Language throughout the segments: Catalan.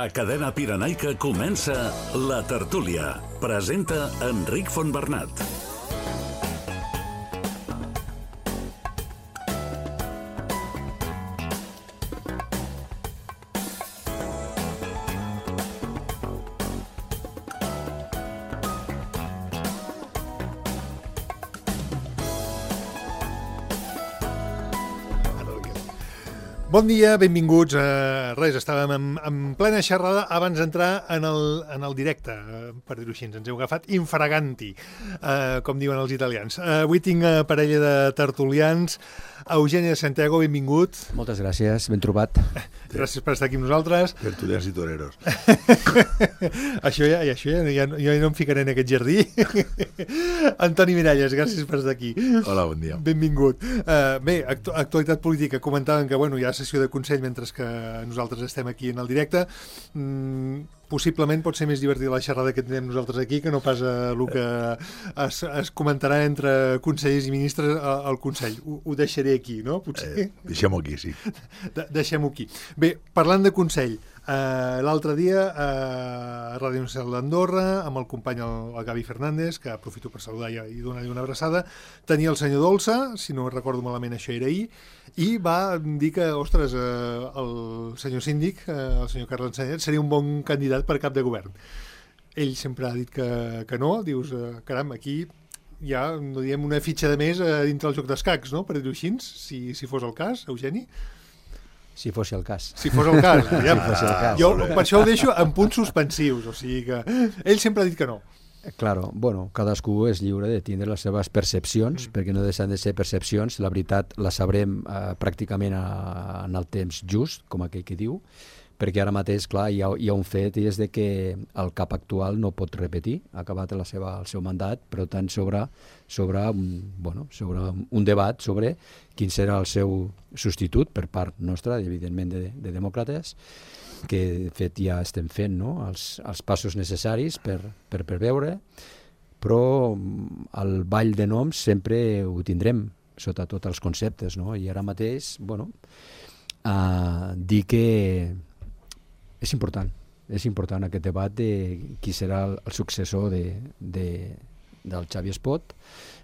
A Cadena Pirenaica comença La Tertúlia. Presenta Enric Fontbernat. Bon dia, benvinguts. Estàvem en plena xerrada abans d'entrar en el directe, per dir-ho així. Ens heu agafat infraganti, com diuen els italians. Avui tinc parella de tertulians. Eugeni de Santiago, benvingut. Moltes gràcies, ben trobat. Gràcies per estar aquí amb nosaltres. Tertulians i toreros. Això ja no em ficaré en aquest jardí. Antoni Miralles, gràcies per estar aquí. Hola, bon dia. Benvingut. Bé, actualitat política. Comentaven que hi ha sessió de Consell mentre que nosaltres estem aquí en el directe. Possiblement pot ser més divertida la xerrada que tindrem nosaltres aquí que no pas el que es comentarà entre consellers i ministres al Consell. Ho deixaré aquí, no? Potser? Deixem-ho aquí, sí. Deixem-ho aquí. Bé, parlant de Consell, l'altre dia a Ràdio Nacional d'Andorra, amb el company el Gavi Fernández, que aprofito per saludar i donar-li una abraçada, tenia el senyor Dolça, si no recordo malament això era ahir, i va dir que, ostres, el senyor síndic, el senyor Carles Ensenyat, seria un bon candidat per cap de govern. Ell sempre ha dit que no, dius, caram, aquí hi ha, no diem, una fitxa de més dintre el joc d'escacs, no?, per dir-ho així, si fos el cas, Eugeni? Si fos el cas. Si fos el cas. Ja, si fos el cas. Jo per això ho deixo en punts suspensius, o sigui que ell sempre ha dit que no. Claro, bueno, cadascú és lliure de tindre les seves percepcions, perquè no deixen de ser percepcions, la veritat la sabrem pràcticament en el temps just, com aquell que diu, perquè ara mateix, clar, hi ha un fet, i és de que el cap actual no pot repetir, ha acabat el seu mandat, però tant sobre un debat sobre quin serà el seu substitut per part nostra, evidentment de demòcrates, que de fet ja estem fent, no?, els passos necessaris per veure, però el ball de noms sempre ho tindrem sota tots els conceptes, no? I ara mateix, dir que és important aquest debat de qui serà el successor del Xavi Espot,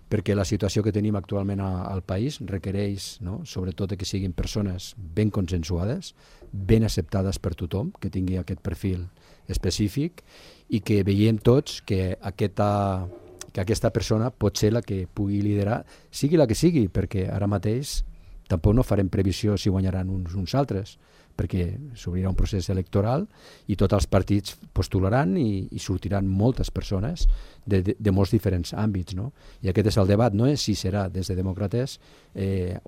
perquè la situació que tenim actualment al país requereix, no?, sobretot que siguin persones ben consensuades, ben acceptades per tothom, que tingui aquest perfil específic i que veiem tots que aquesta persona pot ser la que pugui liderar, sigui la que sigui, perquè ara mateix tampoc no farem previsió si guanyaran uns altres, perquè s'obrirà un procés electoral i tots els partits postularan i sortiran moltes persones de molts diferents àmbits, no? I aquest és el debat, no és si serà des de demòcrates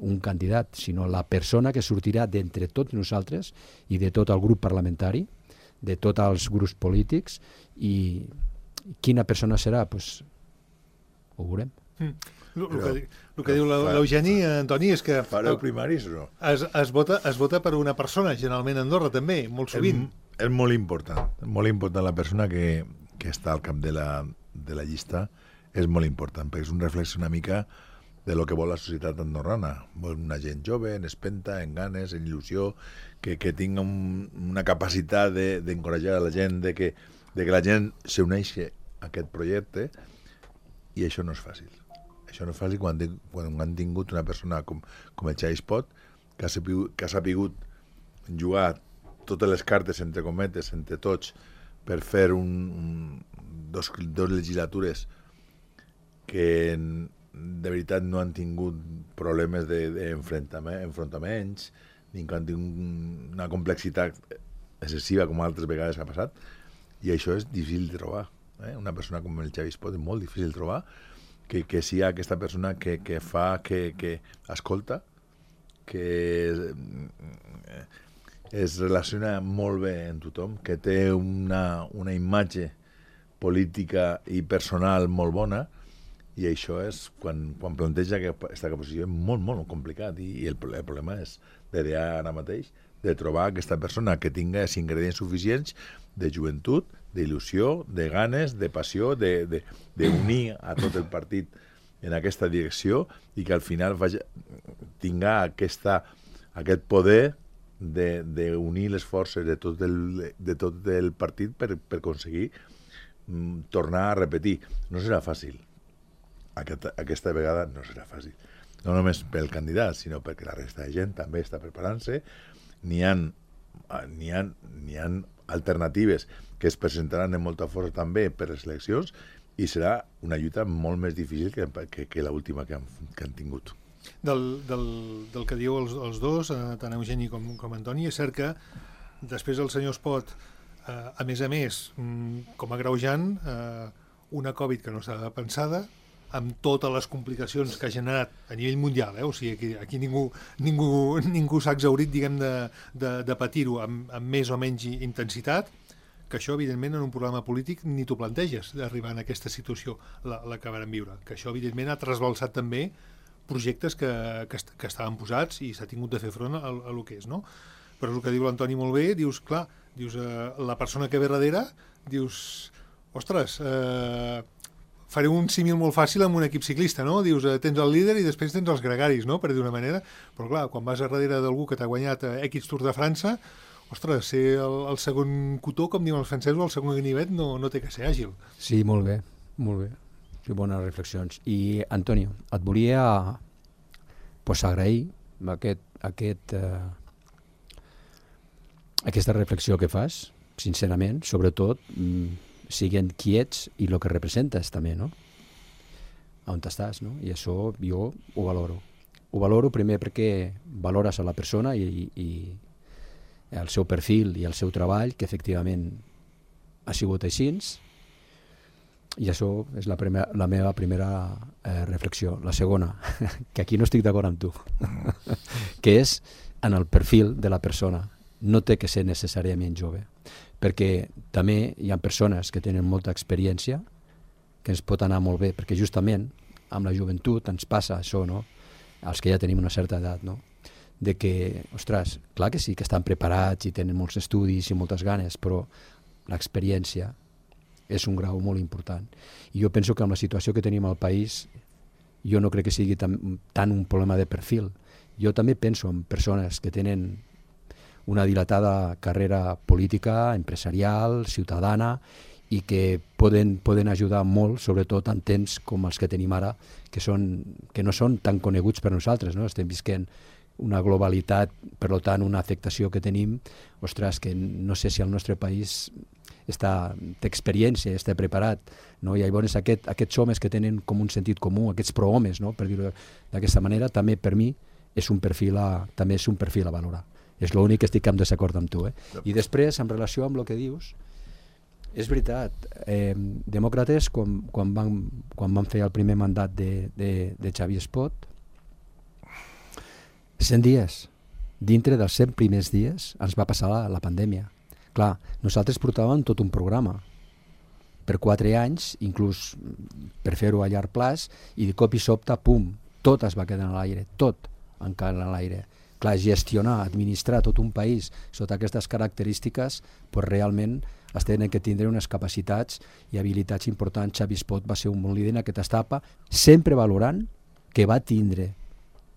un candidat, sinó la persona que sortirà d'entre tots nosaltres i de tot el grup parlamentari, de tots els grups polítics, i quina persona serà, doncs ho veurem. El que diu l'Eugeni, Antoni, és que fareu primaris o no? Es vota per una persona, generalment a Andorra també, molt sovint. És molt important la persona que està al cap de la llista, és molt important, perquè és un reflex una mica de lo que vol la societat andorrana. Vol una gent jove, en espenta, en ganes, en il·lusió, que tinga una capacitat d'encoratjar a la gent, de que la gent s'uneixi a aquest projecte, i això no és fàcil. Això no és fàcil quan han tingut una persona com el Xavi Espot, que ha sapigut jugar totes les cartes, entre cometes, entre tots, per fer dos legislatures que de veritat no han tingut problemes d'enfrontaments, ni que han tingut una complexitat excessiva com altres vegades ha passat, i això és difícil de trobar. Una persona com el Xavi Espot és molt difícil de trobar, que sigui aquesta persona que escolta, que es relaciona molt bé amb tothom, que té una imatge política i personal molt bona, i això és, quan planteja aquesta posició, és molt, molt complicat, i el problema és ara mateix de trobar aquesta persona que tinga els ingredients suficients de joventut, d'il·lusió, de ganes, de passió, d'unir a tot el partit en aquesta direcció, i que al final tinga aquest poder d'unir les forces de tot el partit per aconseguir tornar a repetir. No serà fàcil. Aquesta vegada no serà fàcil. No només pel candidat, sinó perquè la resta de gent també està preparant-se. N'hi ha alternatives que es presentaran amb molta força també per les eleccions i serà una lluita molt més difícil que l'última que han tingut. Del que diu els dos, tant Eugeni com Antoni, és cert que després el senyor Espot, a més, com a greujant, una Covid que no estava pensada, amb totes les complicacions que ha generat a nivell mundial, o sigui, aquí ningú s'ha exhaurit, diguem, de patir-ho amb més o menys intensitat, que això, evidentment, en un programa polític ni t'ho planteges, d'arribar en aquesta situació, la que vam viure, que això, evidentment, ha trasbalsat també projectes que estaven posats i s'ha tingut de fer front a lo que és, no? Però és el que diu l'Antoni molt bé, dius, clar, la persona que ve darrere, dius, ostres, faré un símil molt fàcil amb un equip ciclista, no? Dius, tens el líder i després tens els gregaris, no?, per dir d'una manera. Però clar, quan vas a darrere d'algú que t'ha guanyat X Tour de França, ostres, ser el segon cotó, com diuen els francesos, el segon ganivet, no té que ser àgil. Sí, molt bé, molt bé. Sí, bones reflexions. I, Antonio, et volia agrair aquesta reflexió que fas, sincerament, sobretot siguent qui ets i el que representes també, no? On estàs, no? I això jo ho valoro. Ho valoro primer perquè valores a la persona i el seu perfil i el seu treball, que efectivament ha sigut així, i això és la meva primera reflexió. La segona, que aquí no estic d'acord amb tu, que és en el perfil de la persona. No té que ser necessàriament jove, perquè també hi ha persones que tenen molta experiència, que ens pot anar molt bé, perquè justament amb la joventut ens passa això, no? Els que ja tenim una certa edat, no? De que, ostres, clar que sí, que estan preparats i tenen molts estudis i moltes ganes, però l'experiència és un grau molt important. I jo penso que amb la situació que tenim al país, jo no crec que sigui tant un problema de perfil. Jo també penso en persones que tenen una dilatada carrera política, empresarial, ciutadana, i que poden ajudar molt, sobretot en temps com els que tenim ara, que no són tan coneguts per nosaltres, no? Estem visquent una globalitat, per tant, una afectació que tenim, ostres, que no sé si el nostre país té experiència, està preparat, no? I llavors aquests homes que tenen com un sentit comú, aquests prohomes, no? Per dir-ho d'aquesta manera, també per mi és un perfil a valorar. És l'únic que estic en desacord amb tu. I després, en relació amb el que dius, és veritat, Demòcrates, quan van fer el primer mandat de Xavier Espot, 100 dies, dintre dels 100 primers dies, ens va passar la pandèmia. Clar, nosaltres portàvem tot un programa per 4 anys, inclús per fer-ho a llarg plaç, i de cop i sobte, pum, tot es va quedar a l'aire, tot encara a l'aire. Clar, gestionar, administrar tot un país sota aquestes característiques, pues realment es tenen que tindre unes capacitats i habilitats importants. Xavier Espot va ser un bon líder en aquesta etapa, sempre valorant que va tindre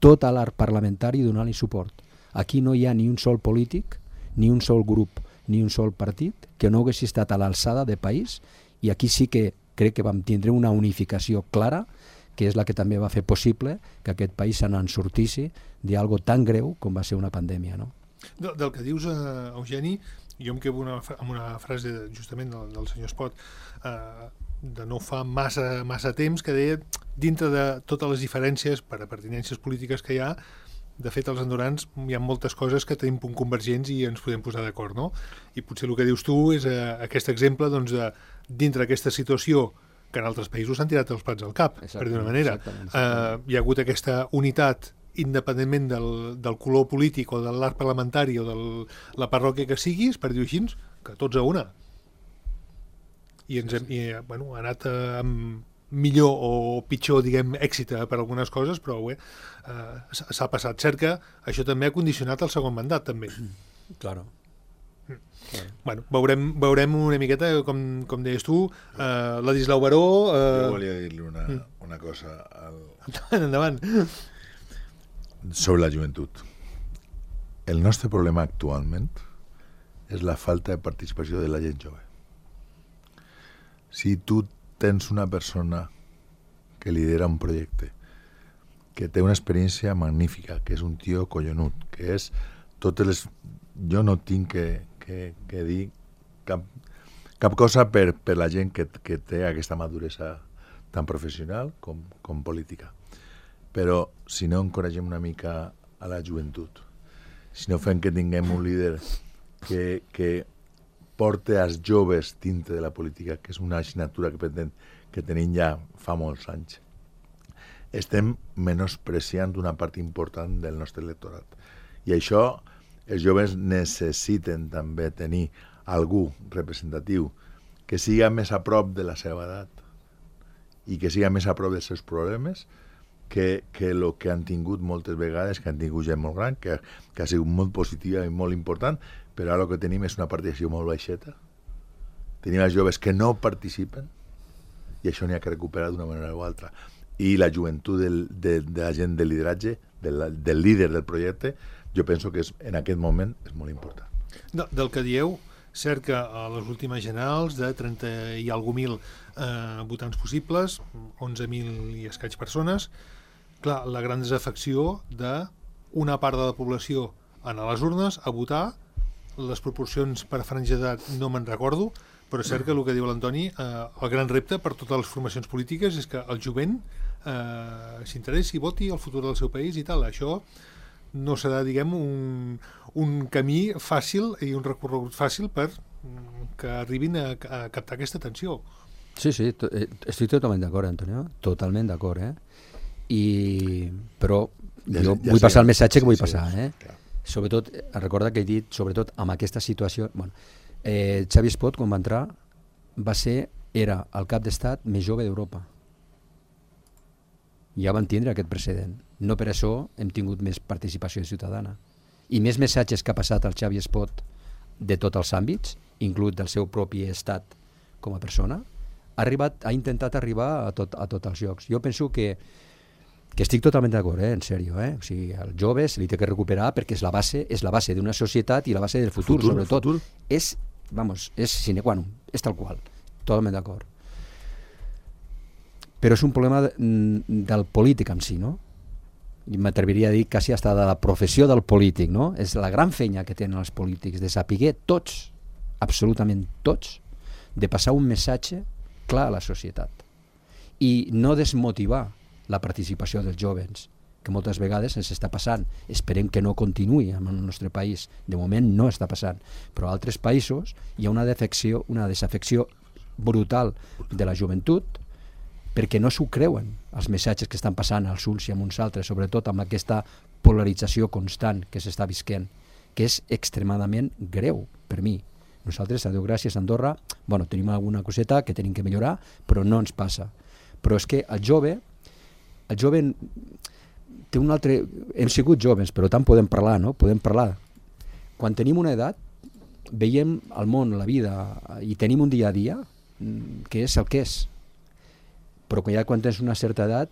tot l'art parlamentari donant-li suport. Aquí no hi ha ni un sol polític, ni un sol grup, ni un sol partit que no hagués estat a l'alçada de país, i aquí sí que crec que vam tindre una unificació clara, que és la que també va fer possible que aquest país se n'en sortissi d'algo tan greu com va ser una pandèmia, no? Del que dius, Eugeni, jo em quedo amb una frase justament del senyor Espot, de no fa massa temps, que deia, dintre de totes les diferències per a pertinències polítiques que hi ha, de fet, els andorrans hi ha moltes coses que tenim punt convergents i ens podem posar d'acord, no? I potser el que dius tu és aquest exemple, doncs, de dintre d'aquesta situació que en altres països s'han tirat els plats al cap, per dir-ho d'una manera. Hi ha hagut aquesta unitat independentment del color polític o de l'art parlamentari o de la parròquia que siguis, per dir-ho així, que tots a una. I ha anat amb millor o pitjor, diguem, èxit per algunes coses, però s'ha passat. Cert que això també ha condicionat el segon mandat, també. Claro. Bueno, veurem una miqueta, com deies tu, Ladislau Baró... Jo volia dir-li una cosa Endavant. Sobre la joventut. el nostre problema actualment és la falta de participació de la gent jove. Si tu tens una persona que lidera un projecte, que té una experiència magnífica, que és un tio collonut, que és totes les... Jo no tinc que dir cap cosa per la gent que té aquesta maduresa tan professional com política. Però si no encoratgem una mica a la joventut, si no fem que tinguem un líder que porte als joves dintre de la política, que és una assignatura que tenim ja fa molts anys, estem menospreciant una part important del nostre electorat. I això, els joves necessiten també tenir algú representatiu que siga més a prop de la seva edat i que siga més a prop dels seus problemes que el que han tingut moltes vegades, que han tingut gent molt gran, que ha sigut molt positiva i molt important, però ara el que tenim és una participació molt baixeta. Tenim els joves que no participen i això n'hi ha que recuperar d'una manera o altra. I la joventut de la gent de lideratge, del líder del projecte, jo penso que en aquest moment és molt important. Del que dieu, cert que a les últimes generals de 30 i alguna mil votants possibles, 11.000 i escaig persones, clar, la gran desafecció d'una part de la població anar a les urnes a votar, les proporcions per franja d'edat no me'n recordo, però és cert que el que diu l'Antoni, el gran repte per totes les formacions polítiques és que el jovent s'interessi, voti el futur del seu país i tal. Això no serà, diguem, un camí fàcil i un recorregut fàcil per que arribin a captar aquesta atenció. Sí, estic totalment d'acord, Antonio, totalment d'acord, però jo vull passar el missatge que vull passar, Sobretot, recorda que he dit, sobretot amb aquesta situació, Xavi Espot, quan va entrar, era el cap d'estat més jove d'Europa. Ja van tindre aquest precedent. No per això hem tingut més participació ciutadana. I més missatges que ha passat el Xavi Espot de tots els àmbits, inclús del seu propi estat com a persona, ha intentat arribar a tots els llocs. Jo penso que estic totalment d'acord, en sèrio. O sigui, el jove se li té que recuperar perquè és la base d'una societat i la base del futur, sobretot. És sine qua non, és tal qual. Totalment d'acord. Però és un problema del polític en si, no? I m'atreviria a dir quasi hasta de la professió del polític, no? És la gran feina que tenen els polítics, de saber tots, absolutament tots, de passar un missatge clar a la societat i no desmotivar la participació dels jovens, que moltes vegades ens està passant. Esperem que no continuï en el nostre país. De moment no està passant, però a altres països hi ha una desafecció brutal de la joventut perquè no s'ho creuen els missatges que estan passant als uns i amb uns altres, sobretot amb aquesta polarització constant que s'està visquent, que és extremadament greu per mi. Nosaltres, a Déu gràcies, a Andorra, tenim alguna coseta que tenim que millorar, però no ens passa. Però és que el jove té un altre... Hem sigut joves, però tant podem parlar, no? Podem parlar. Quan tenim una edat, veiem el món, la vida, i tenim un dia a dia que és el que és. Però quan tens una certa edat,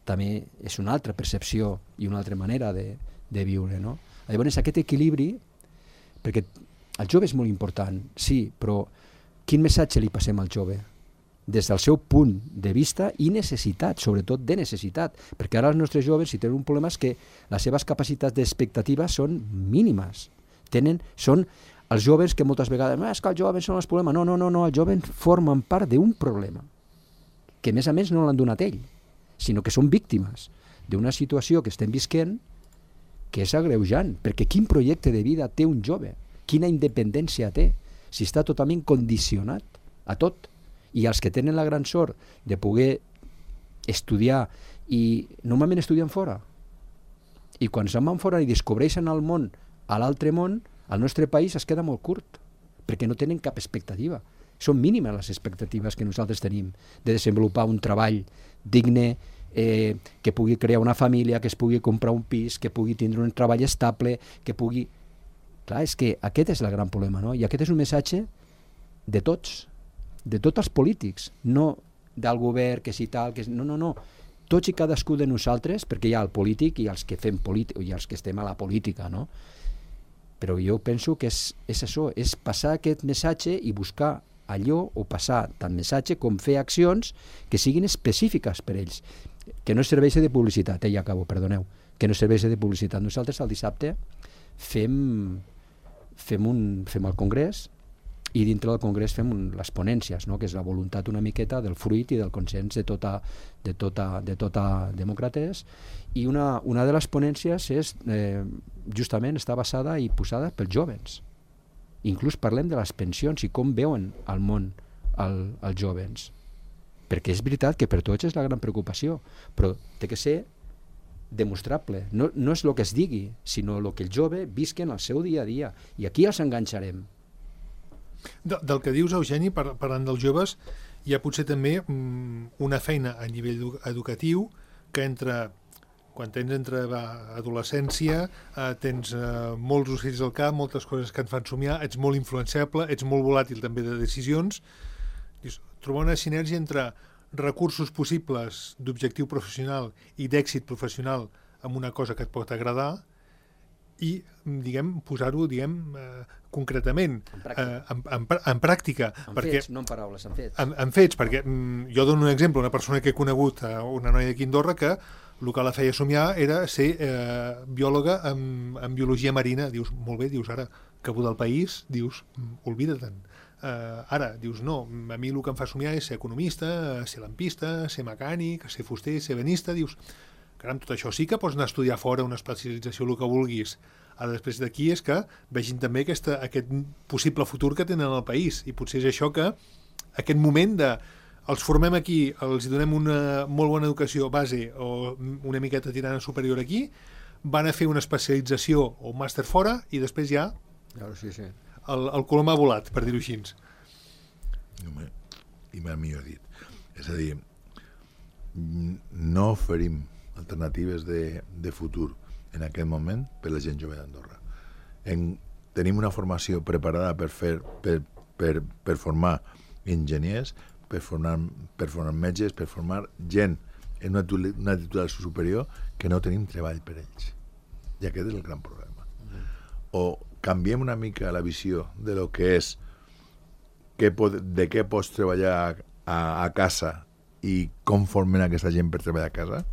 també és una altra percepció i una altra manera de viure, no? Llavors, aquest equilibri, perquè el jove és molt important, sí, però quin missatge li passem al jove? Des del seu punt de vista i necessitat, sobretot de necessitat, perquè ara els nostres joves, si tenen un problema, és que les seves capacitats d'expectativa són mínimes. Són els joves que moltes vegades, és que els joves són els problemes. No, els joves formen part d'un problema, que a més no l'han donat ell, sinó que són víctimes d'una situació que estem visquent que és agreujant, perquè quin projecte de vida té un jove? Quina independència té? Si està totalment condicionat a tot. I els que tenen la gran sort de poder estudiar, i normalment estudien fora, i quan se'n van fora i descobreixen el món a l'altre món, el nostre país es queda molt curt, perquè no tenen cap expectativa. Són mínimes les expectatives que nosaltres tenim de desenvolupar un treball digne, que pugui crear una família, que es pugui comprar un pis, que pugui tindre un treball estable, que pugui... Clar, és que aquest és el gran problema, no? I aquest és un missatge de tots els polítics, no del govern, que si tal, que... No. Tots i cadascú de nosaltres, perquè hi ha el polític i els que fem política, i els que estem a la política, no? Però jo penso que és això, és passar aquest missatge i buscar allò, o passar tant missatge com fer accions que siguin específiques per ells, que no serveixi de publicitat, ja acabo, perdoneu, que no serveixi de publicitat. Nosaltres el dissabte fem el congrés, i dintre del congrés fem les ponències, no? Que és la voluntat una miqueta del fruit i del consens de tota demòcrates, i una de les ponències és justament està basada i posada pels jovens. Inclús parlem de les pensions i com veuen el món els jovens, perquè és veritat que per tots és la gran preocupació, però té que ser demostrable, no és el que es digui, sinó el que el jove visquen el seu dia a dia, i aquí els enganxarem. Del que dius, Eugeni, parlant dels joves, hi ha potser també una feina a nivell educatiu que quan tens entre adolescència, tens molts ocells al cap, moltes coses que et fan somiar, ets molt influenciable, ets molt volàtil també de decisions. Dius, trobar una sinergia entre recursos possibles d'objectiu professional i d'èxit professional amb una cosa que et pot agradar i, posar-ho, concretament, en pràctica. En fets, no en paraules, en fets. En fets, perquè jo dono un exemple, una persona que he conegut, una noia d'aquí a Andorra, que el que la feia somiar era ser biòloga en biologia marina. Dius, molt bé, dius, ara, cabuda del país, dius, oblida-te'n. Ara, dius, no, a mi el que em fa somiar és ser economista, ser lampista, ser mecànic, ser fuster, ser benista. Dius, caram, tot això sí que pots anar a estudiar fora, una especialització, el que vulguis. Ara, després d'aquí, és que vegin també aquest possible futur que tenen al país, i potser és això que aquest moment de els formem aquí, els donem una molt bona educació base o una miqueta tirant superior aquí, van a fer una especialització o un màster fora i després ja el colom ha volat, per dir-ho així. I m'ha millor dit. És a dir, no oferim alternatives de futur en aquest moment per la gent jove d'Andorra. Tenim una formació preparada per formar enginyers, per formar metges, per formar gent en una titulació superior que no tenim treball per ells. I aquest és el gran problema. O canviem una mica la visió de lo que és de què pots treballar a casa i com formen aquesta gent per treballar a casa.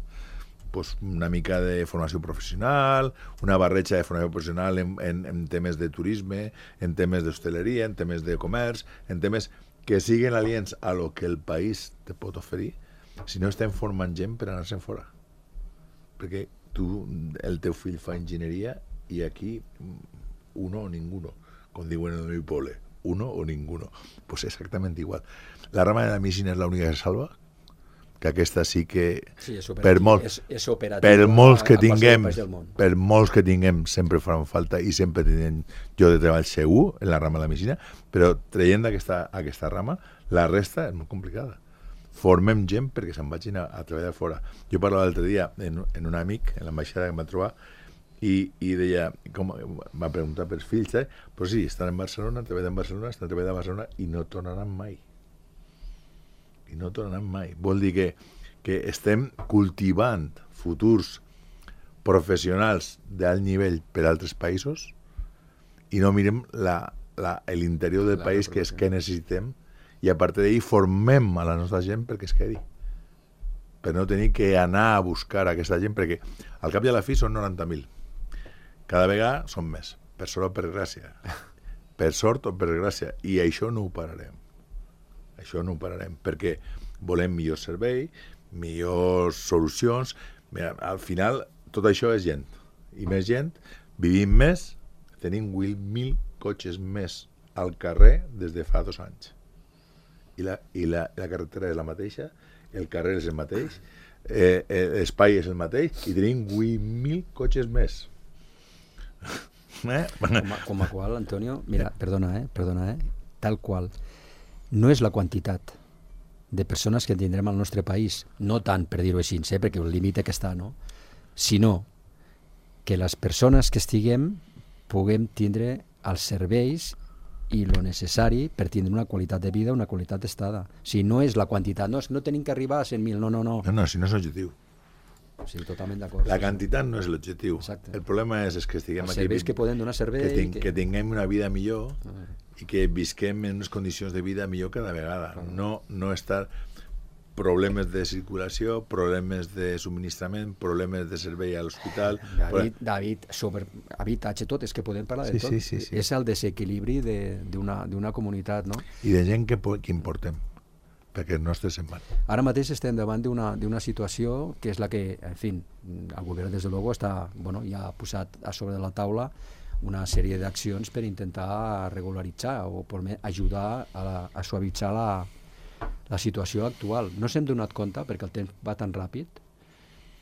Pues una mica de formació professional, una barreja de formació professional en temes de turisme, en temes d'hostaleria, en temes de comerç, en temes que siguin aliens a lo que el país te pot oferir, si no estem formant gent per anar-se'n fora. Perquè el teu fill fa enginyeria i aquí uno o ninguno, com diuen en el meu poble, uno o ninguno. Pues exactament igual. La rama de la medicina és l'única que salva, que aquesta sí que per molts que tinguem sempre faran falta i sempre tindrem lloc de treball segur en la rama de la medicina, però traient aquesta rama, la resta és molt complicada. Formem gent perquè se'n vagin a treballar fora. Jo parlava l'altre dia en un amic, en l'ambaixada que em va trobar, i deia, va preguntar pels fills, però sí, estan en Barcelona, treballen a Barcelona i no tornaran mai. Vol dir que estem cultivant futurs professionals d'alt nivell per altres països i no mirem l'interior del país, que és que necessitem, i a partir d'ahir formem a la nostra gent perquè es quedi, per no tenir que anar a buscar aquesta gent, perquè al cap i a la fi són 90.000. Cada vegada són més, per sort o per gràcia. Per sort o per gràcia. I això no ho pararem. Perquè volem millor servei, millors solucions. Mira, al final, tot això és gent. I més gent, vivim més, tenim 8.000 cotxes més al carrer des de fa 2 anys. I la carretera és la mateixa, el carrer és el mateix, l'espai és el mateix, i tenim 8.000 cotxes més. Com a qual, Antonio, mira, perdona, tal qual, no és la quantitat de persones que tindrem al nostre país, no tant per dir-ho així, perquè el límit que està, no? Sinó que les persones que estiguem puguem tindre els serveis i lo necessari per tindre una qualitat de vida, una qualitat d'estada. Si no és la quantitat, no tenim que arribar a 100.000, no. No, si no és objectiu. Sí, totalment d'acord. La quantitat no és l'objectiu. Exacte. El problema és que estiguem Els aquí... serveis que poden donar servei... Que tinguem una vida millor i que visquem en unes condicions de vida millor cada vegada. No estar problemes de circulació, problemes de subministrament, problemes de servei a l'hospital... David, sobre habitatge, tot, és que podem parlar de tot. Sí. És el desequilibri d'una comunitat, no? I de gent que importem, perquè els nostres se'n van. Ara mateix estem davant d'una situació que és la que, en fi, el govern des de luego ja ha posat a sobre de la taula una sèrie d'accions per intentar regularitzar o per ajudar a suavitzar la situació actual. No s'hem donat compte, perquè el temps va tan ràpid,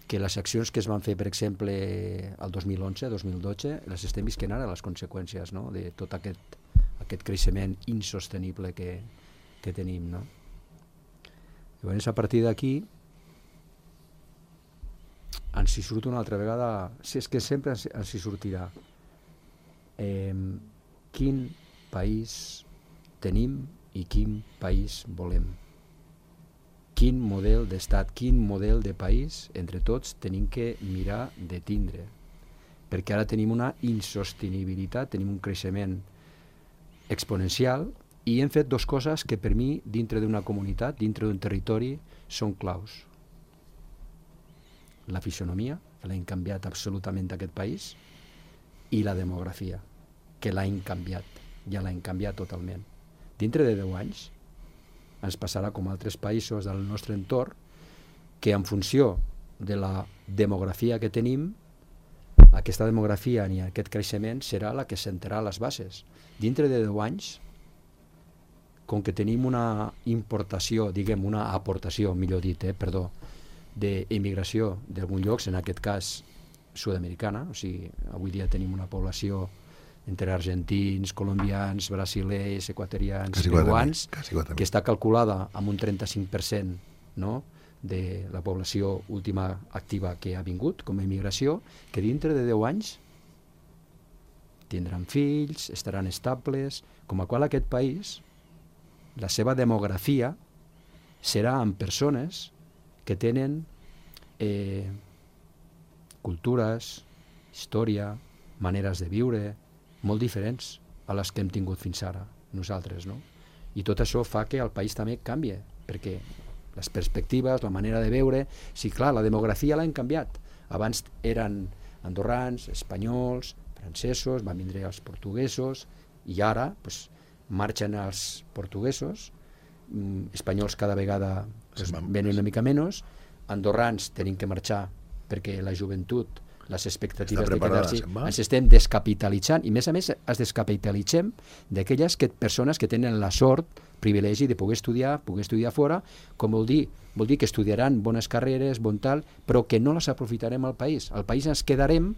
que les accions que es van fer, per exemple, el 2011, 2012, les estem visquent ara, les conseqüències, no?, de tot aquest creixement insostenible que tenim, no? Llavors, a partir d'aquí, ens hi surt una altra vegada, si és que sempre ens hi sortirà, quin país tenim i quin país volem. Quin model d'estat, quin model de país, entre tots, tenim que mirar de tindre. Perquè ara tenim una insostenibilitat, tenim un creixement exponencial i hem fet dues coses que per mi, dintre d'una comunitat, dintre d'un territori, són claus. La fisonomia, que l'hem canviat absolutament d'aquest país, i la demografia, que l'hem canviat, ja l'hem canviat totalment. Dintre de 10 anys ens passarà com altres països del nostre entorn que en funció de la demografia que tenim, aquesta demografia ni aquest creixement serà la que sentarà les bases. Dintre de 10 anys, com que tenim una importació, diguem una aportació, millor dit, d'immigració d'alguns llocs, en aquest cas sud-americana, o sigui, avui dia tenim una població entre argentins, colombians, brasilers, equatorians, peruans, que està calculada amb un 35%, no?, de la població última activa que ha vingut com a immigració, que dintre de 10 anys tindran fills, estaran estables, com a qual aquest país, la seva demografia serà amb persones que tenen cultures, història, maneres de viure, molt diferents a les que hem tingut fins ara, nosaltres, no? I tot això fa que el país també canvie, perquè les perspectives, la manera de veure... Sí, clar, la demografia l'hem canviat. Abans eren andorrans, espanyols, francesos, van vindre els portuguesos, i ara pues, marxen els portuguesos, espanyols cada vegada pues, venen una mica menys, andorrans tenim que marxar perquè la joventut, les expectatives de quedar-s'hi, ens estem descapitalitzant, i a més es descapitalitzem d'aquelles persones que tenen la sort, privilegi de poder estudiar fora, com vol dir que estudiaran bones carreres, bon tal, però que no les aprofitarem al país. Al país ens quedarem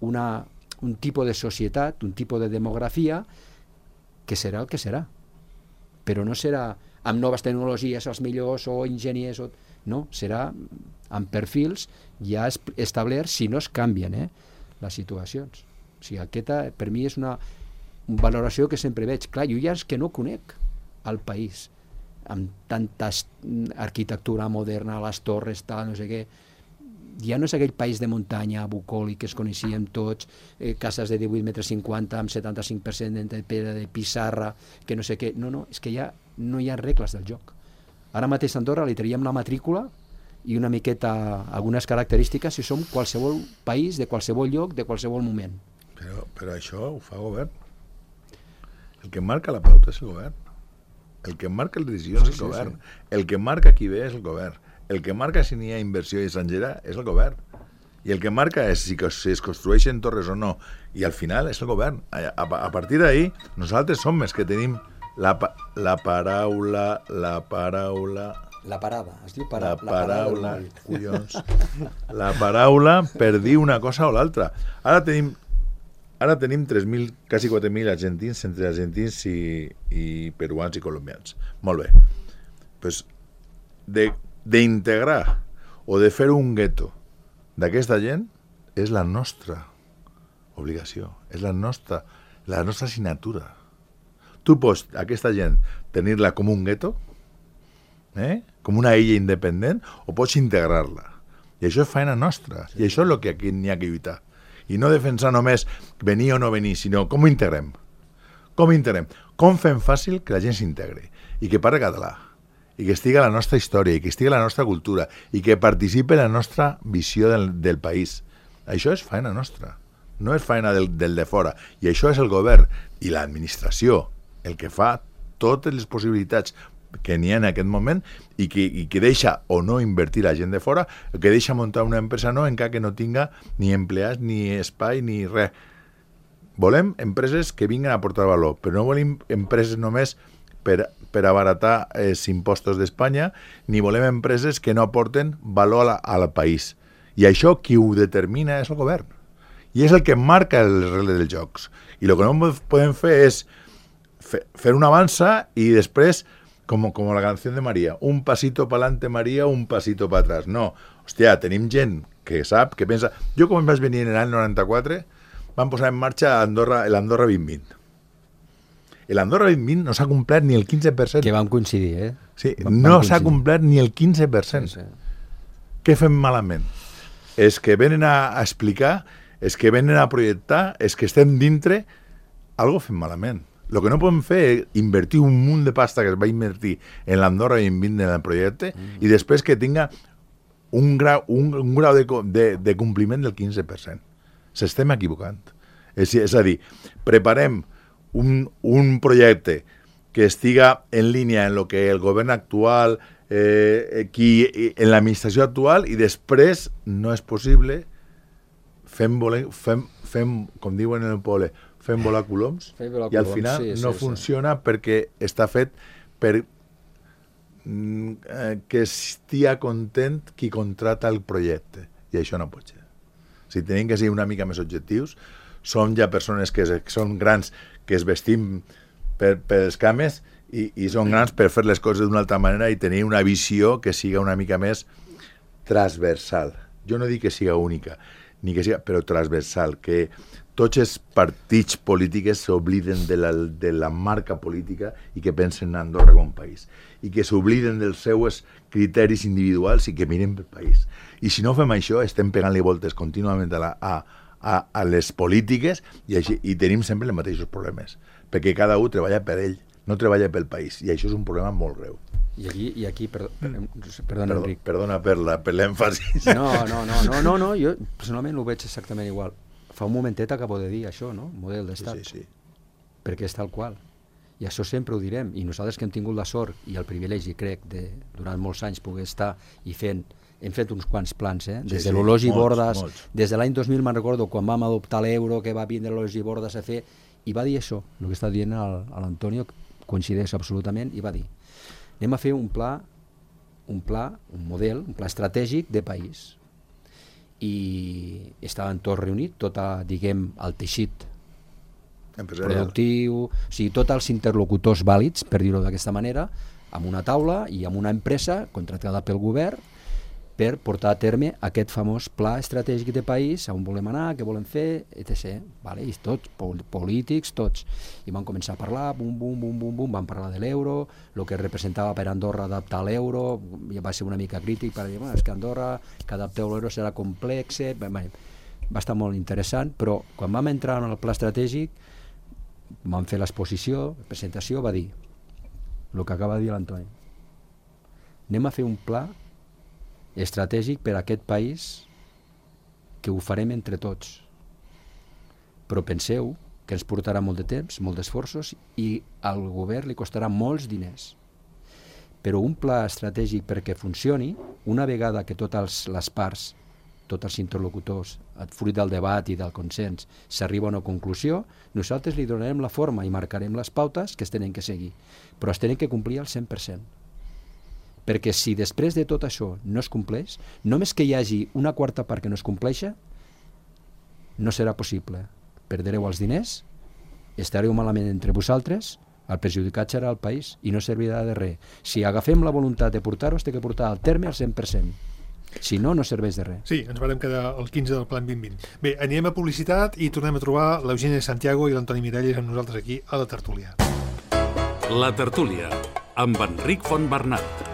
un tipus de societat, un tipus de demografia que serà el que serà. Però no serà amb noves tecnologies els millors o enginyers, no, serà amb perfils ja establerts si no es canvien les situacions. O sigui, aquesta per mi és una valoració que sempre veig. Clar, jo ja és que no conec el país amb tanta arquitectura moderna, les torres, tal, no sé què. Ja no és aquell país de muntanya bucòlic que es coneixíem tots, cases de 18,50 metres amb 75% de pedra de pissarra, que no sé què. No, és que ja no hi ha regles del joc. Ara mateix a Andorra li traiem la matrícula i una miqueta algunes característiques si som qualsevol país, de qualsevol lloc, de qualsevol moment. Però això ho fa el govern. El que marca la pauta és el govern. El que marca les decisions és el govern. El que marca qui ve és el govern. El que marca si n'hi ha inversió estrangera és el govern. I el que marca és si es construeixen torres o no. I al final és el govern. A partir d'ahí, nosaltres som els que tenim la paraula... La parada, es diu la paraula, collons. La paraula per dir una cosa o l'altra. Ara tenim 3.000, quasi 4.000 argentins, entre argentins i peruans i colombians. Molt bé. Pues d'integrar o de fer un gueto d'aquesta gent és la nostra obligació, és la nostra assignatura. Tu pots, aquesta gent, tenir-la com un gueto, com una illa independent, o pots integrar-la. I això és feina nostra. I això és el que aquí n'hi ha que lluitar. I no defensar només venir o no venir, sinó com ho integrem. Com integrem? Com fem fàcil que la gent s'integri i que parli català, i que estigui a la nostra història, i que estigui a la nostra cultura, i que participi en la nostra visió del país. Això és feina nostra, no és feina del de fora. I això és el govern i l'administració el que fa totes les possibilitats que n'hi ha en aquest moment i que deixa o no invertir la gent de fora, que deixa muntar una empresa no encara que no tinga ni empleats, ni espai, ni res. Volem empreses que vinguin a aportar valor, però no volem empreses només per abaratar els impostos d'Espanya, ni volem empreses que no aporten valor al país. I això qui ho determina és el govern. I és el que marca les regles dels jocs. I el que no podem fer és fer una avança i després, com la canció de María, un pasito para adelante María, un pasito para atrás. No, hòstia, tenim gent que sap, que pensa... Jo quan vaig venir en l'any 94 van posar en marxa l'Andorra 2020. L'Andorra 2020 no s'ha complert ni el 15%. Que vam coincidir, Sí, no s'ha complert ni el 15%. Sí. Què fem malament? És que venen a explicar, és que venen a projectar, és que estem dintre, algo fem malament. El que no podem fer és invertir un munt de pasta que es va invertir en l'Andorra 2020 en el projecte i després que tinga un grau de compliment del 15%. S'estem equivocant. És a dir, preparem un projecte que estiga en línia en el que el govern actual, en l'administració actual, i després no és possible, fem com diuen en el poble, fem volar coloms, i al final no funciona perquè està fet per que estigui content qui contrata el projecte, i això no pot ser. Si tenim que ser una mica més objectius, som ja persones que són grans, que es vestim per els cames i són grans per fer les coses d'una altra manera i tenir una visió que siga una mica més transversal. Jo no dic que siga única, ni que siga, però transversal, que tots els partits polítics s'obliden de la marca política i que pensen en Andorra com a país, i que s'obliden dels seus criteris individuals i que miren pel país. I si no fem això, estem pegant-li voltes contínuament a les polítiques i tenim sempre els mateixos problemes, perquè cada un treballa per ell, no treballa pel país, i això és un problema molt greu. I aquí perdona, Enric. Perdona per l'èmfasis. No, jo personalment ho veig exactament igual. Fa un momentet acabo de dir això, no? Model d'estat. Sí. Perquè és tal qual. I això sempre ho direm. I nosaltres que hem tingut la sort i el privilegi, crec, de durant molts anys poder estar i hem fet uns quants plans, des de l'Ologi Bordes, des de l'any 2000 me'n recordo, quan vam adoptar l'euro, que va vindre l'Ologi Bordes a fer, i va dir això, el que està dient l'Antonio, coincideix absolutament, i va dir, anem a fer un model, un pla estratègic de país. I estaven tots reunits, diguem, el teixit productiu, o sigui, tots els interlocutors vàlids, per dir-ho d'aquesta manera, amb una taula i amb una empresa contractada pel govern per portar a terme aquest famós pla estratègic de país, on volem anar, què volem fer, etc. Vale? I tots, polítics, tots. I van començar a parlar, van parlar de l'euro, el que representava per Andorra adaptar l'euro, va ser una mica crític per dir, és que Andorra, que adapteu l'euro serà complex, va estar molt interessant, però quan vam entrar en el pla estratègic, vam fer l'exposició, la presentació, va dir el que acaba de dir l'Antoni. Anem a fer un pla estratègic per a aquest país que ho farem entre tots. Però penseu que ens portarà molt de temps, molts d'esforços, i al govern li costarà molts diners. Però un pla estratègic perquè funcioni, una vegada que totes les parts, tots els interlocutors, fruit del debat i del consens, s'arriba a una conclusió, nosaltres li donarem la forma i marcarem les pautes que es tenen que seguir, però es tenen que complir al 100%. Perquè si després de tot això no es compleix, només que hi hagi una quarta part que no es compleixi, no serà possible. Perdreu els diners, estareu malament entre vosaltres, el perjudicat serà el país i no servirà de res. Si agafem la voluntat de portar-ho, es té que portar al terme al 100%. Si no, no serveix de res. Sí, ens vam quedar el 15 del Plan 2020. Bé, anirem a publicitat i tornem a trobar l'Eugènia Santiago i l'Antoni Miralles amb nosaltres aquí a la tertúlia. La tertúlia, amb Enric Fontbernat.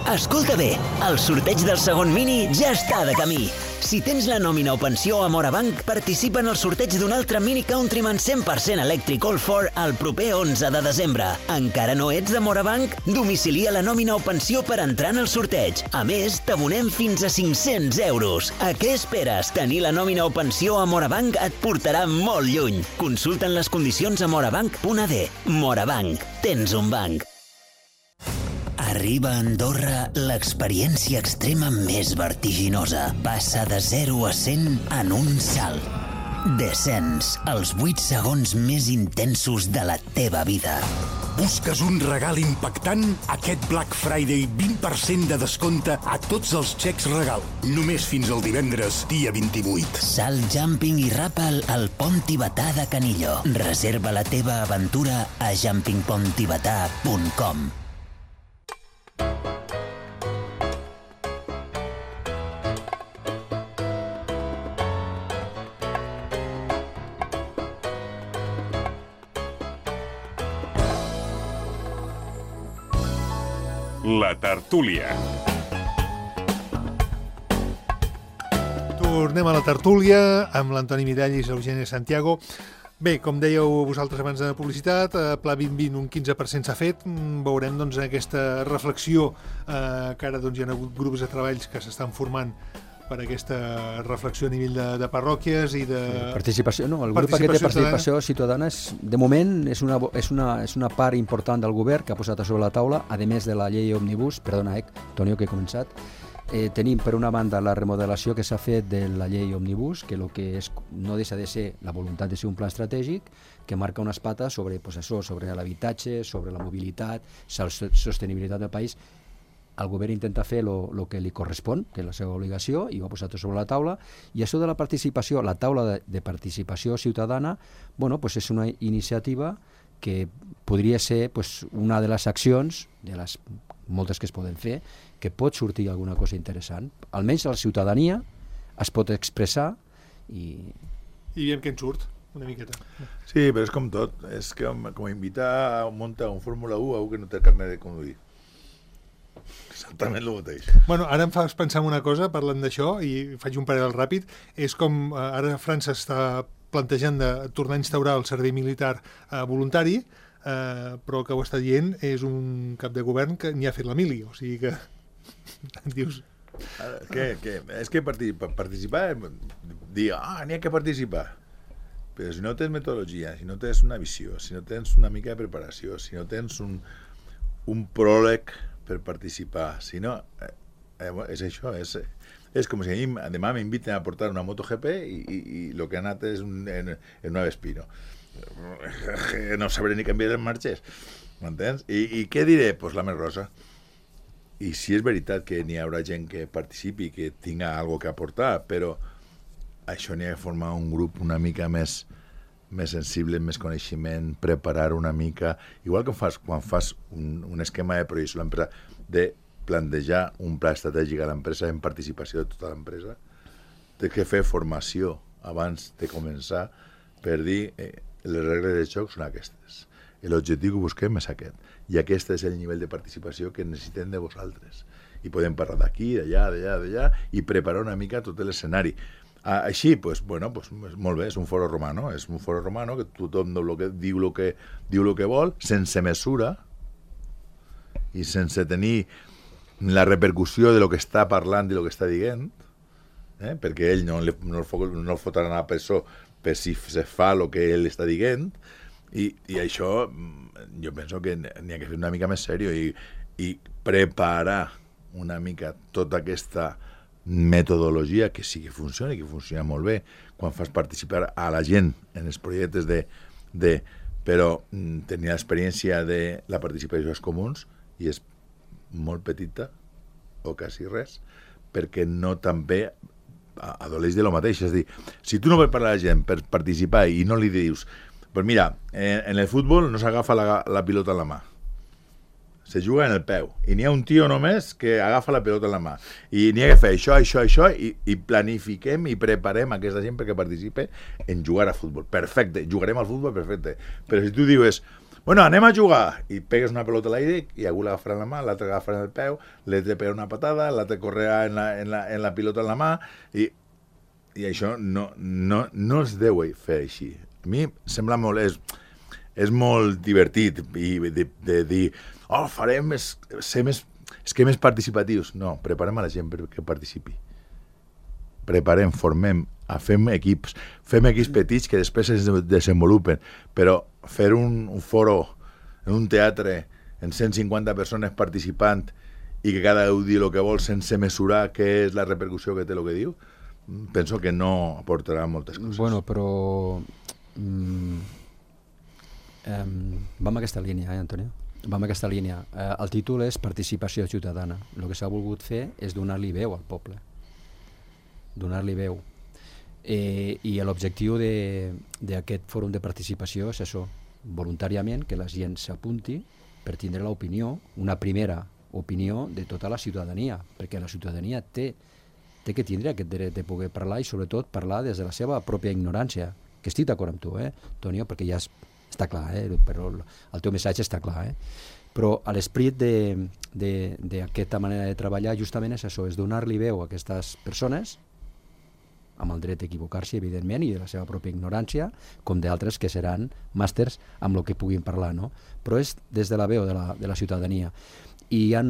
Escolta bé, el sorteig del segon Mini ja està de camí. Si tens la nòmina o pensió a Morabanc, participa en el sorteig d'un altre Mini Countryman 100% elèctric All4 el proper 11 de desembre. Encara no ets de Morabanc? Domicilia la nòmina o pensió per entrar en el sorteig. A més, t'abonem fins a 500 euros. A què esperes? Tenir la nòmina o pensió a Morabanc et portarà molt lluny. Consulta'n les condicions a morabanc.ad. Morabanc. Tens un banc. Arriba a Andorra l'experiència extrema més vertiginosa. Passa de 0 a 100 en un salt. Descens, els 8 segons més intensos de la teva vida. Busques un regal impactant? Aquest Black Friday 20% de descompte a tots els xecs regal. Només fins al divendres, dia 28. Salt, jumping i ràpel al Pont Tibetà de Canillo. Reserva la teva aventura a jumpingponttibetà.com. La tertúlia. Tornem a la tertúlia amb l'Antoni Miralles i l'Eugènia Santiago. Bé, com dèieu vosaltres abans de la publicitat, Pla 2020 un 15% s'ha fet. Veurem doncs, aquesta reflexió que ara doncs, hi ha hagut grups de treballs que s'estan formant per aquesta reflexió a nivell de parròquies i de... Participació, no? El grup aquest de participació ciutadana de moment és una part important del govern que ha posat a sobre la taula, a més de la llei Òmnibus, perdona, Tonio, que he començat. Tenim per una banda la remodelació que s'ha fet de la llei Òmnibus, que el que és, no deixa de ser la voluntat de ser un pla estratègic que marca unes pates sobre, sobre l'habitatge, sobre la mobilitat, la sostenibilitat del país. El govern intenta fer el que li correspon, que és la seva obligació, i ho ha posat sobre la taula. I això de la participació, la taula de participació ciutadana, bueno, pues és una iniciativa que podria ser pues, una de les accions, de les moltes que es poden fer, que pot sortir alguna cosa interessant. Almenys la ciutadania es pot expressar i... I veiem què en surt, una miqueta. Sí, però és com tot. És que com invitar a muntar un Fórmula 1 a un que no té carnet de conduir. Exactament el mateix. Bueno, ara em fas pensar en una cosa, parlant d'això, i faig un paral·lel ràpid, és com ara França està plantejant de tornar a instaurar el servei militar voluntari, però el que ho està dient és un cap de govern que n'hi ha fet la mili, o sigui que dius... És que participar, dir, n'hi ha que participar, però si no tens metodologia, si no tens una visió, si no tens una mica de preparació, si no tens un pròleg per participar, si no, és això, és com si demà m'inviten a portar una MotoGP i el que ha anat és en una Vespino. No sabré ni canviar les marxes, m'entens? I què diré? Pues la més rosa. I si és veritat que n'hi haurà gent que participi, que tinga alguna que aportar, però això n'hi ha de formar un grup una mica més sensible, més coneixement, preparar una mica, igual que quan fas un esquema de projecció a l'empresa, de plantejar un pla estratègic a l'empresa en participació de tota l'empresa, té que fer formació abans de començar per dir les regles de joc són aquestes, l'objectiu que busquem és aquest, i aquest és el nivell de participació que necessitem de vosaltres, i podem parlar d'aquí, d'allà, i preparar una mica tot l'escenari. Així, molt bé, és un foro romano, que tothom diu el que vol, sense mesura i sense tenir la repercussió de lo que està parlant i el que està dient, perquè ell no el fotran a la presó per si se fa el que ell està dient, i això jo penso que n'hi ha que fer una mica més seriós i preparar una mica tota aquesta metodologia que sí que funciona i que funciona molt bé quan fas participar a la gent en els projectes però tenir l'experiència de la participació als comuns i és molt petita o quasi res perquè no també adoleix de lo mateix, és a dir, si tu no vols parlar a la gent per participar i no li dius pues mira, en el futbol no s'agafa la pilota en la mà, se juga en el peu, i n'hi ha un tio només que agafa la pilota en la mà, i n'hi ha que fer això, i planifiquem i preparem aquesta gent perquè participe en jugar a futbol. Perfecte, jugarem al futbol, perfecte. Però si tu dius, bueno, anem a jugar, i pegues una pelota a l'aire i algú l'agafarà en la mà, l'altre l'agafarà en el peu, l'altre pega una patada, l'altre correrà en la pilota en la mà, i això no es deu fer així. A mi sembla molt... És molt divertit i de dir, farem esquemes participatius. No, preparem a la gent perquè participi. Preparem, formem, fem equips petits que després es desenvolupen, però fer un foro en un teatre amb 150 persones participant i que cada un digui el que vol sense mesurar què és la repercussió que té el que diu, penso que no aportarà moltes coses. Bueno, però vam a aquesta línia, Antonio? Vam a aquesta línia. El títol és Participació ciutadana. El que s'ha volgut fer és donar-li veu al poble. Donar-li veu. I l'objectiu d'aquest fòrum de participació és això, voluntàriament que la gent s'apunti per tindre l'opinió, una primera opinió de tota la ciutadania, perquè la ciutadania té que tindre aquest dret de poder parlar i sobretot parlar des de la seva pròpia ignorància, que estic d'acord amb tu, Antonio, perquè ja està clar, però el teu missatge està clar, però l'esperit d'aquesta manera de treballar justament és això, és donar-li veu a aquestes persones amb el dret d'equivocar-se, evidentment, i de la seva pròpia ignorància, com d'altres que seran màsters amb el que puguin parlar, no? Però és des de la veu de la ciutadania. I hi ha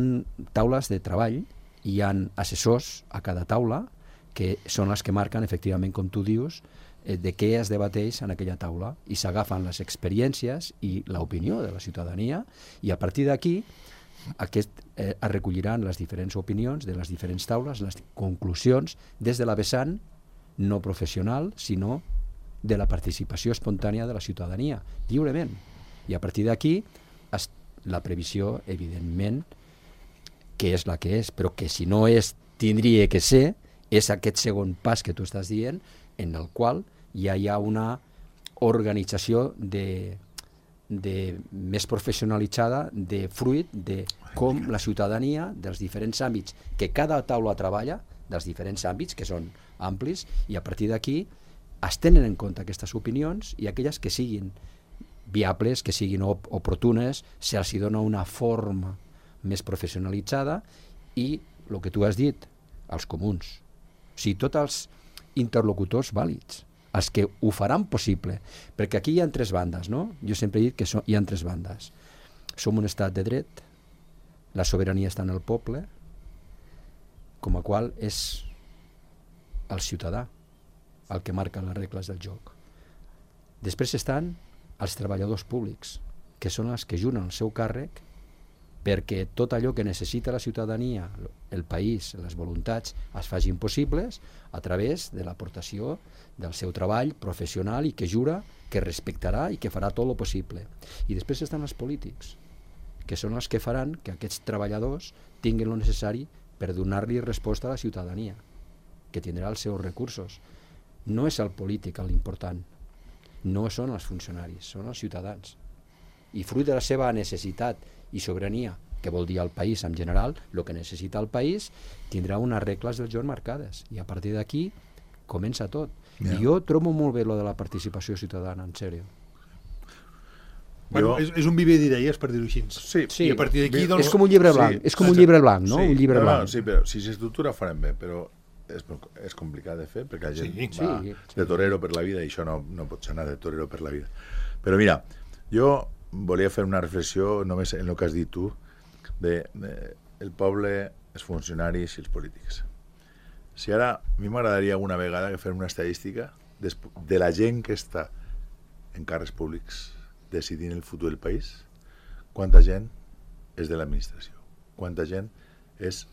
taules de treball, hi ha assessors a cada taula, que són les que marquen, efectivament, com tu dius, de què es debateix en aquella taula, i s'agafen les experiències i l'opinió de la ciutadania, i a partir d'aquí es recolliran les diferents opinions de les diferents taules, les conclusions, des de la vessant no professional, sinó de la participació espontània de la ciutadania, lliurement. I a partir d'aquí, la previsió, evidentment, que és la que és, però que si no és, tindria que ser, és aquest segon pas que tu estàs dient, en el qual ja hi ha una organització més professionalitzada de fruit de com la ciutadania dels diferents àmbits que cada taula treballa, dels diferents àmbits que són amplis, i a partir d'aquí es tenen en compte aquestes opinions i aquelles que siguin viables, que siguin oportunes, se'ls dona una forma més professionalitzada i el que tu has dit, els comuns. O sigui, tots els interlocutors vàlids, els que ho faran possible, perquè aquí hi ha tres bandes, no? Jo sempre he dit que hi ha tres bandes. Som un estat de dret, la sobirania està en el poble, com a qual és el ciutadà el que marca les regles del joc. Després estan els treballadors públics, que són els que juren el seu càrrec perquè tot allò que necessita la ciutadania, el país, les voluntats, es facin possibles a través de l'aportació del seu treball professional i que jura que respectarà i que farà tot el possible. I després estan els polítics, que són els que faran que aquests treballadors tinguin el necessari per donar-li resposta a la ciutadania, que tindrà els seus recursos. No és el polític l'important, no són els funcionaris, són els ciutadans. I fruit de la seva necessitat i sobirania, que vol dir el país en general, el que necessita el país, tindrà unes regles del joc marcades. I a partir d'aquí comença tot. Yeah. I jo trobo molt bé lo de la participació ciutadana, en sèrio. Bueno, és un viver d'idees, per dir-ho així. Sí. I a partir d'aquí... Doncs... És com un llibre blanc, és com un llibre blanc, no? Un llibre blanc. Sí, però si s'estructura farem bé, però és complicat de fer, perquè la gent va de torero per la vida i això no pots anar de torero per la vida. Però mira, jo volia fer una reflexió només en el que has dit tu, el poble, els funcionaris i els polítics. Si ara, a mi m'agradaria alguna vegada fer una estadística de la gent que està en càrrecs públics decidint el futur del país, quanta gent és de l'administració, quanta gent és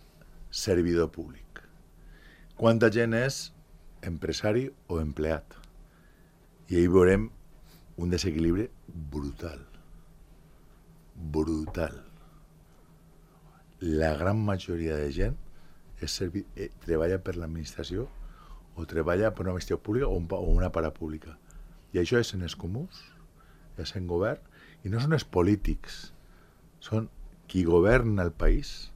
servidor públic, quanta gent és empresari o empleat. I ahí veurem un desequilibri brutal. Brutal. La gran majoria de gent treballa per l'administració o treballa per una administració pública o una parapública. I això és en els comuns, és en govern, i no són els polítics, són qui governa el país.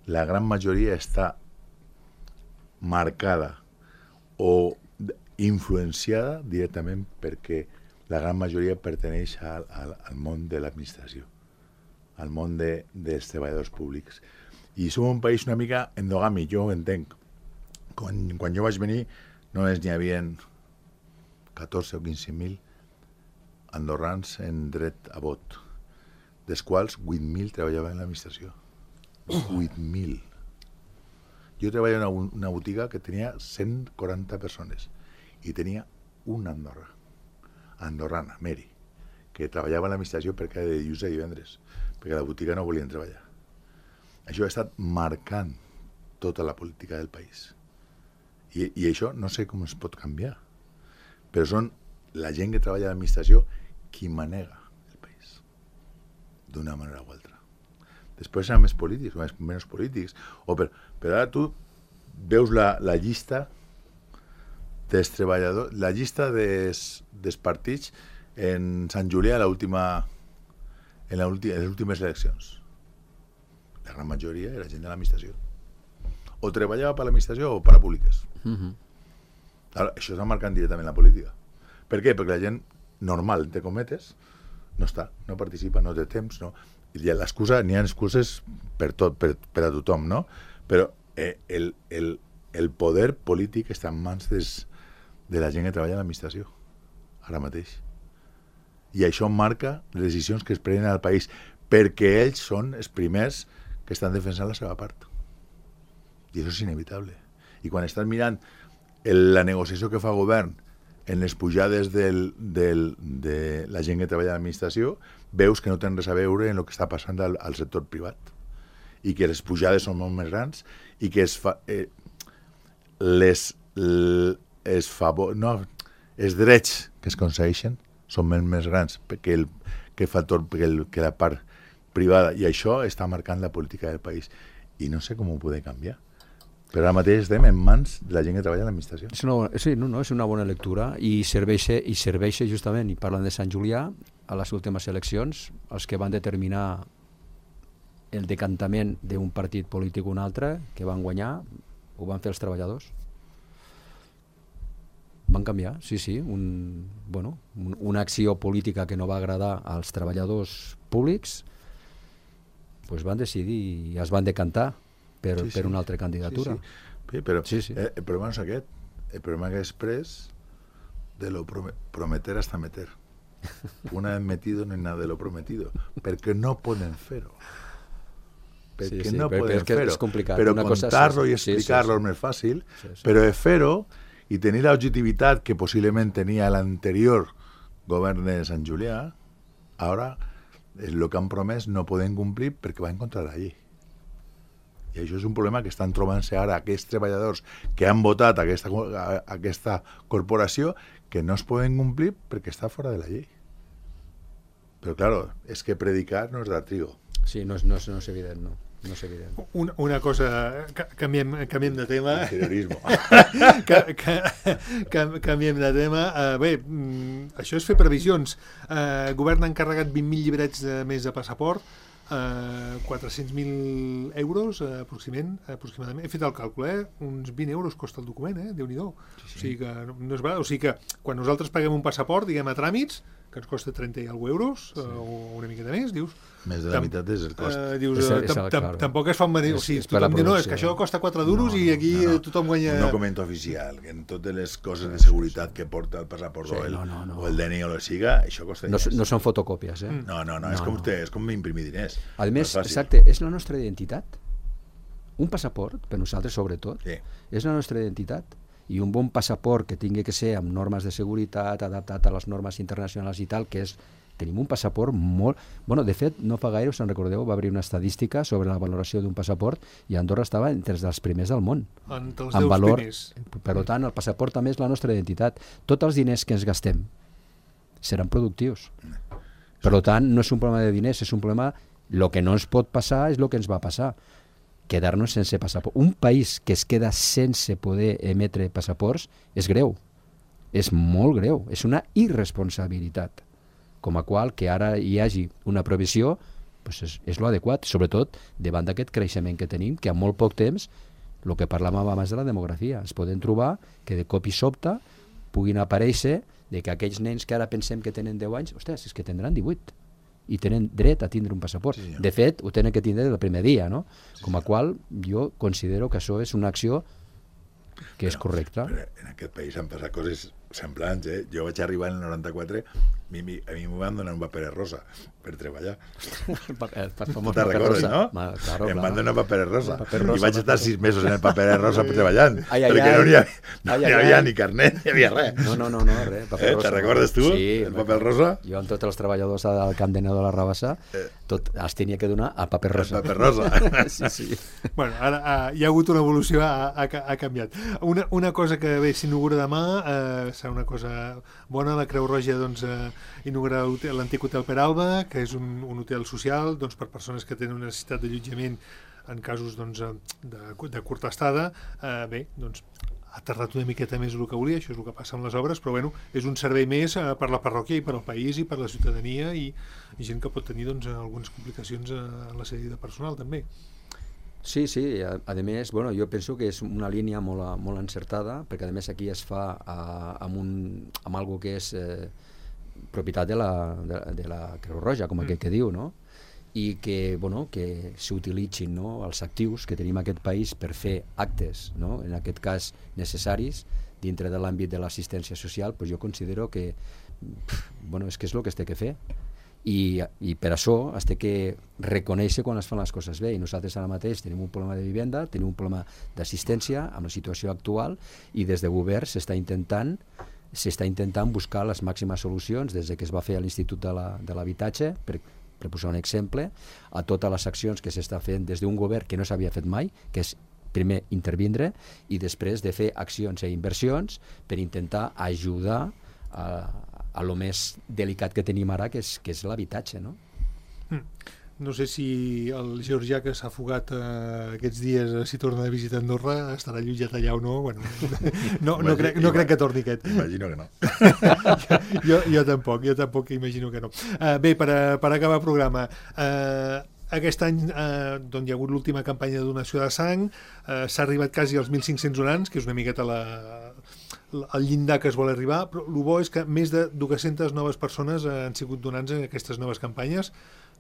La gran majoria està marcada o influenciada directament perquè la gran majoria perteneix al món de l'administració, al món dels treballadors públics. I som un país una mica endogàmic, jo ho entenc. Quan jo vaig venir només n'hi havia 14 o 15.000 andorrans en dret a vot, dels quals 8.000 treballaven en l'administració. 8.000. Jo treballava en una botiga que tenia 140 persones i tenia una andorrana, Mary, que treballava en l'administració perquè era de dilluns a divendres, perquè a la botiga no volien treballar. Això ha estat marcant tota la política del país. I això no sé com es pot canviar, però són la gent que treballa a l'administració qui manega el país, d'una manera o altra. Després seran més polítics o menys polítics, però ara tu veus la llista dels treballadors, la llista dels partits en Sant Julià en les últimes eleccions. La gran majoria era gent de l'administració. O treballava per l'administració o per a públiques. Ara, això està marcant directament la política. Per què? Perquè la gent normal, entre cometes, no està, no participa, no té temps, no. N'hi ha excuses per tot, per a tothom, no? Però el poder polític està en mans de la gent que treballa a l'administració, ara mateix. I això marca les decisions que es prenen al país, perquè ells són els primers que estan defensant la seva part. I això és inevitable. I quan estàs mirant la negociació que fa el govern en les pujades de la gent que treballa a l'administració, veus que no tenen res a veure en el que està passant al sector privat. I que les pujades són molt més grans i que els drets que es aconsegueixen són més grans que la part privada, i això està marcant la política del país. I no sé com ho podem canviar. Però ara mateix estem en mans de la gent que treballa a l'administració. És una bona lectura i serveix justament, i parlant de Sant Julià, a les últimes eleccions, els que van determinar el decantament d'un partit polític o un altre, que van guanyar, ho van fer els treballadors. Van canviar, sí, una acció política que no va agradar als treballadors públics, doncs van decidir i es van decantar per una altra candidatura. Sí. Però el problema no és aquest. El problema que després de lo prometer hasta meter. Una vez metido no hay nada de lo prometido. Perquè no poden fer-ho. Perquè no poden fer-ho. Però contar-lo i explicar-lo és més fàcil, però de fer-ho i tenir l'objectivitat que possiblement tenia l'anterior govern de Sant Julià, ara el que han promès no poden complir perquè va en contra de la llei. I això és un problema que estan trobant-se ara aquests treballadors que han votat aquesta corporació, que no es poden complir perquè està fora de la llei. Però, clar, és que predicar no és de trigo. Sí, no és evident, no. No és evident. Una cosa, canviem de tema. Interiorisme. Canviem de tema. Bé, això és fer previsions. Govern ha encarregat 20.000 llibrets més de passaport, 400.000 euros aproximadament. He fet el càlcul, uns 20 euros costa el document, Déu-n'hi-do. Sí. O sigui que no és barat. O sigui que quan nosaltres paguem un passaport, diguem a tràmits, que ens costa 30 i alguna euros, o una miqueta més, dius... Més de la meitat és el cost. Tampoc es fa... O sigui, tothom diu, no, és que això costa 4 duros i aquí tothom guanya... Un document oficial, que en totes les coses de seguretat que porta el passaport o el DNI o la siga, això costa diners. No són fotocòpies, No, és com imprimir diners. A més, exacte, és la nostra identitat. Un passaport, per nosaltres sobretot, és la nostra identitat. I un bon passaport que tingui que ser amb normes de seguretat, adaptat a les normes internacionals i tal, que és... Tenim un passaport molt... Bueno, de fet, no fa gaire, us en recordeu, va haver una estadística sobre la valoració d'un passaport i Andorra estava entre els primers del món. Entre els 10 primers. Per tant, el passaport també és la nostra identitat. Tots els diners que ens gastem seran productius. Per tant, no és un problema de diners, és un problema... El que no ens pot passar és el que ens va passar. Quedar-nos sense passaport. Un país que es queda sense poder emetre passaports és greu. És molt greu. És una irresponsabilitat. Com a qual que ara hi hagi una provisió doncs és l'adequat, sobretot davant d'aquest creixement que tenim, que en molt poc temps, el que parlàvem abans de la demografia, es poden trobar que de cop i sobte puguin aparèixer de que aquells nens que ara pensem que tenen 10 anys, ostres, és que tindran 18 i tenen dret a tindre un passaport. Sí, de fet, ho tenen que tindre el primer dia, no? Com a qual jo considero que això és una acció que és correcta. Però en aquest país han passat coses semblants, Jo vaig arribar en el 94, a mi m'ho van donar un paper rosa per treballar. Te'n recordes, no? Claro, em van donar paper rosa. Paper rosa, I vaig estar 6 mesos en el paper rosa treballant, Ai, perquè no hi havia ni carnet, ni havia res. No, res. Paper rosa. Te'n recordes tu, sí, el paper rosa? Jo amb tots els treballadors del Camp de Neu de la Rabassa, tot els tenia que donar a paper rosa. El paper rosa. Sí. Bueno, ara hi ha hagut una evolució, ha canviat. Una cosa que bé s'inaugura demà, serà una cosa bona, la Creu Roja doncs, inaugura l'antic Hotel Peralba, que és un hotel social doncs, per persones que tenen una necessitat d'allotjament en casos doncs, de curta estada. Bé, doncs ha tardat una miqueta més el que volia, això és el que passa amb les obres, però bueno, és un servei més per la parròquia i per al país i per la ciutadania i gent que pot tenir doncs, algunes complicacions en la sèrie de personal també. Sí, a més, bueno, jo penso que és una línia molt encertada, perquè a més aquí es fa amb algo que és propietat de la Creu Roja, com aquell que diu, no? I que, bueno, que s'utilitzin, no, els actius que tenim en aquest país per fer actes, no? En aquest cas necessaris, dintre de l'àmbit de l'assistència social, pues jo considero que bueno, és que és el que es té que fer. I per això es té que reconèixer quan es fan les coses bé, i nosaltres ara mateix tenim un problema de vivenda, tenim un problema d'assistència amb la situació actual, i des de govern s'està intentant buscar les màximes solucions des que es va fer a l'Institut de l'Habitatge, per posar un exemple, a totes les accions que s'està fent des d'un govern que no s'havia fet mai, que és primer intervindre i després de fer accions i inversions per intentar ajudar a lo més delicat que tenim ara, que és l'habitatge, no? No sé si el georgià que s'ha fugat aquests dies, si torna de visita a Andorra, estarà allotjat allà o no. Bueno, no crec que torni aquest. Imagino que no. jo tampoc imagino que no. Bé, per acabar el programa, aquest any doncs, hi ha hagut l'última campanya de donació de sang, s'ha arribat quasi als 1.500 donants, que és una miqueta el llindar que es vol arribar, però el bo és que més de 200 noves persones han sigut donants en aquestes noves campanyes.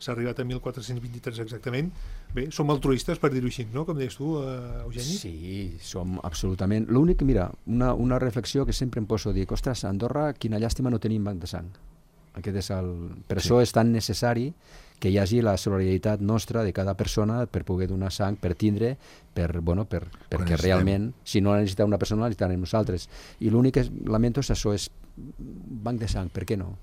S'ha arribat a 1.423 exactament. Bé, som altruistes, per dir-ho així, no? Com deies tu, Eugeni? Sí, som absolutament. L'únic, mira, una reflexió que sempre em poso, dic, ostres, a Andorra, quina llàstima no tenim banc de sang. Per això és tan necessari que hi hagi la solidaritat nostra de cada persona per poder donar sang, per tindre, perquè realment, si no la necessita una persona, la necessitarem nosaltres. I l'únic que lamento és això, és banc de sang, per què no?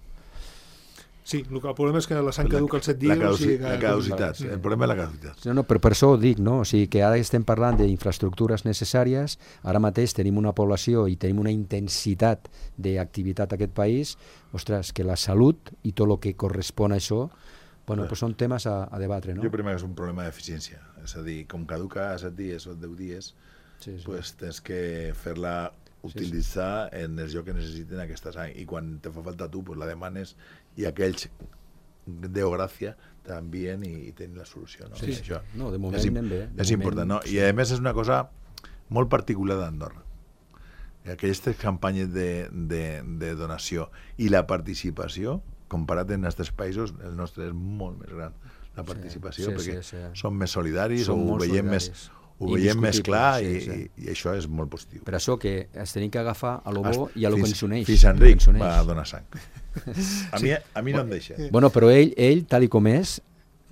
Sí, el problema és que la sang caduca als 7 dies. La caducitat, el problema és la caducitat. No, per això ho dic, no? O sigui, que ara estem parlant d'infraestructures necessàries, ara mateix tenim una població i tenim una intensitat d'activitat a aquest país, ostres, que la salut i tot el que correspon a això, bueno, pues són temes a debatre, no? Jo primer és un problema d'eficiència, és a dir, com caduca a 7 dies o 10 dies, pues tens que fer-la utilitzar en els llocs que necessiten aquesta sang, i quan te fa falta tu, pues la demanes i aquells Déu gràcia t'envien i tenen la solució, no? Sí, això no, de moment anem bé. És important, no? I a més és una cosa molt particular d'Andorra. Aquestes campanyes de donació i la participació, comparat amb els altres països, el nostre és molt més gran, la participació, perquè som més solidaris, ho veiem més clar i això és molt positiu. Per això que es tenim que agafar a lo bo i a lo que ens uneix. Fins Enric va donar sang. A mi no em deixa. Bueno, però ell, tal com és,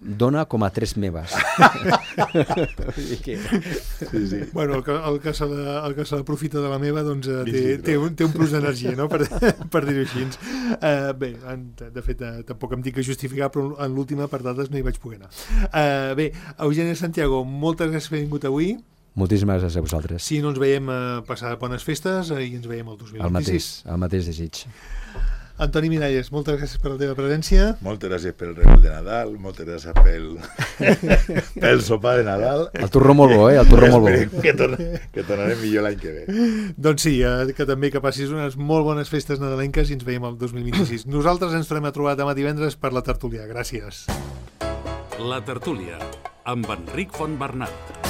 dona com a 3 meves. Sí. Bueno, el que se l'aprofita de la meva doncs, té un plus d'energia, no? per dir-ho així. Bé, de fet, tampoc em dic que justificar, però en l'última per dades no hi vaig poder anar. Bé, Eugeni Santiago, moltes gràcies per haver vingut avui. Moltíssimes gràcies a vosaltres. Si no ens veiem, passar bones festes i ens veiem el 2026. El mateix desig. Antoni Miralles, moltes gràcies per la teva presència. Moltes gràcies pel regal de Nadal, moltes gràcies pel sopar de Nadal. El torró molt bo, el torró molt bo. Que tornarem millor l'any que ve. Doncs sí, que també que passis unes molt bones festes nadalenques i ens veiem el 2026. Nosaltres ens tornem a trobar demà divendres per la tertúlia. Gràcies. La tertúlia, amb Enric Fontbernat.